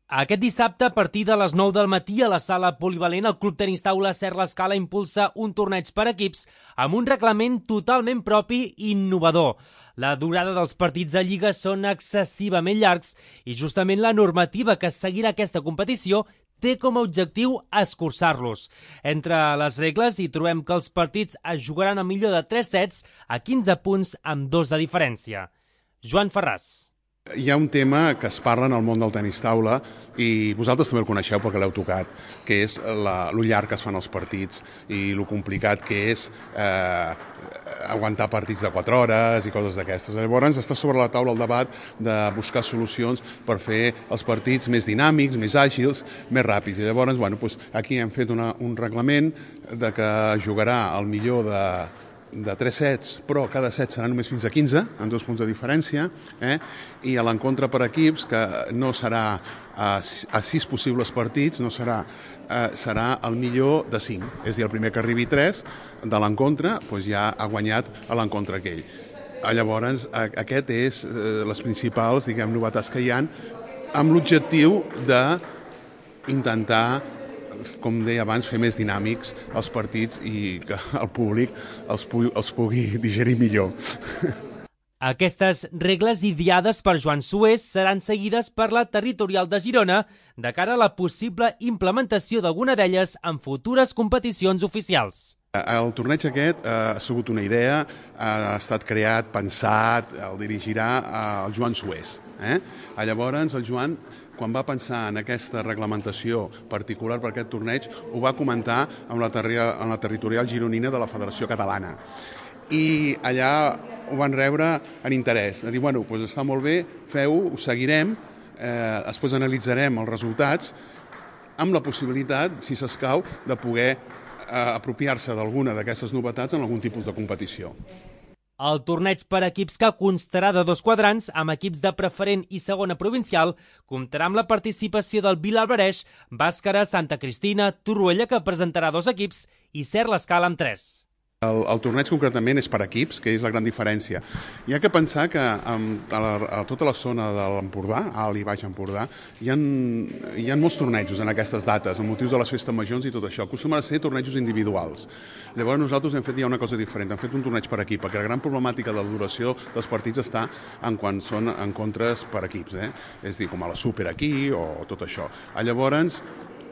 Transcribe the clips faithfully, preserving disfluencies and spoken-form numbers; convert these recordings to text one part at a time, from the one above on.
Aquest dissabte, a partir de les nou del matí, a la sala polivalent, el Club Tenis Taula Ser l'Escala impulsa un torneig per equips amb un reglament totalment propi i innovador. La durada dels partits de Lliga són excessivament llargs i justament la normativa que seguirà aquesta competició té com a objectiu escurçar-los. Entre les regles hi trobem que els partits es jugaran a millor de tres sets a quinze punts amb dos de diferència. Joan Ferràs. Hi ha un tema que es parla en el món del tenis taula i vosaltres també el coneixeu perquè l'heu tocat, que és la, lo llarg que es fan els partits i lo complicat que és eh, aguantar partits de quatre hores i coses d'aquestes. Llavors està sobre la taula el debat de buscar solucions per fer els partits més dinàmics, més àgils, més ràpids. I llavors, bueno, doncs aquí hem fet una, un reglament de que jugarà el millor de de tres sets, però cada set serà només fins a quinze, amb dos punts de diferència, eh? I a l'encontre per equips, que no serà a, a sis possibles partits, no serà, eh, serà el millor de cinc. És a dir, el primer que arribi tres de l'encontre doncs ja ha guanyat a l'encontre aquell. Llavors, aquest és eh, les principals, diguem, novetats que hi ha, amb l'objectiu d'intentar, com deia abans, fer més dinàmics els partits i que el públic els pugui, els pugui digerir millor. Aquestes regles ideades per Joan Sués seran seguides per la territorial de Girona de cara a la possible implementació d'alguna d'elles en futures competicions oficials. El torneig aquest ha sigut una idea, ha estat creat, pensat, el dirigirà el Joan Sués. Eh? Llavors, el Joan, quan va pensar en aquesta reglamentació particular per aquest torneig, ho va comentar amb la, amb la territorial gironina de la Federació Catalana. I allà ho van rebre en interès. De dir, bueno, doncs està molt bé, feu-ho, ho seguirem, eh, després analitzarem els resultats, amb la possibilitat, si s'escau, de poder eh, apropiar-se d'alguna d'aquestes novetats en algun tipus de competició. El torneig per equips, que constarà de dos quadrants, amb equips de preferent i segona provincial, comptarà amb la participació del Vilalbareix, Bàscara, Santa Cristina, Torroella, que presentarà dos equips, i Ser l'Escala amb tres. El, el torneig concretament és per equips, que és la gran diferència. Hi ha que pensar que amb, a, la, a tota la zona de l'Empordà, Alt i Baix Empordà, hi ha, hi ha molts tornejos en aquestes dates, amb motius de les festes majors i tot això. Acostumen a ser tornejos individuals. Llavors nosaltres hem fet ja una cosa diferent, hem fet un torneig per equip, perquè la gran problemàtica de la duració dels partits està en quan són encontres per equips, eh? És a dir, com a la Super aquí o tot això. Llavors,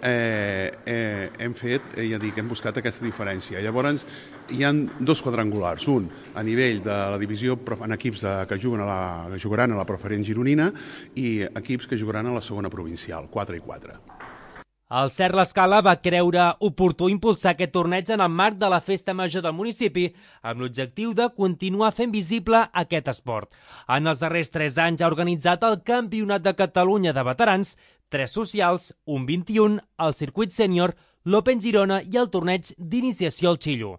Eh, eh, hem fet, eh, ja dic, hem buscat aquesta diferència. Llavors, hi ha dos quadrangulars, un a nivell de la divisió en equips de, que, juguen a la, que jugaran a la preferent gironina i equips que jugaran a la segona provincial, quatre i quatre. El Ser l'Escala va creure oportú impulsar aquest torneig en el marc de la Festa Major del municipi, amb l'objectiu de continuar fent visible aquest esport. En els darrers tres anys ha organitzat el Campionat de Catalunya de Veterans, tres socials, un vint i un, el circuit sènior, l'Open Girona i el torneig d'iniciació al Xillo.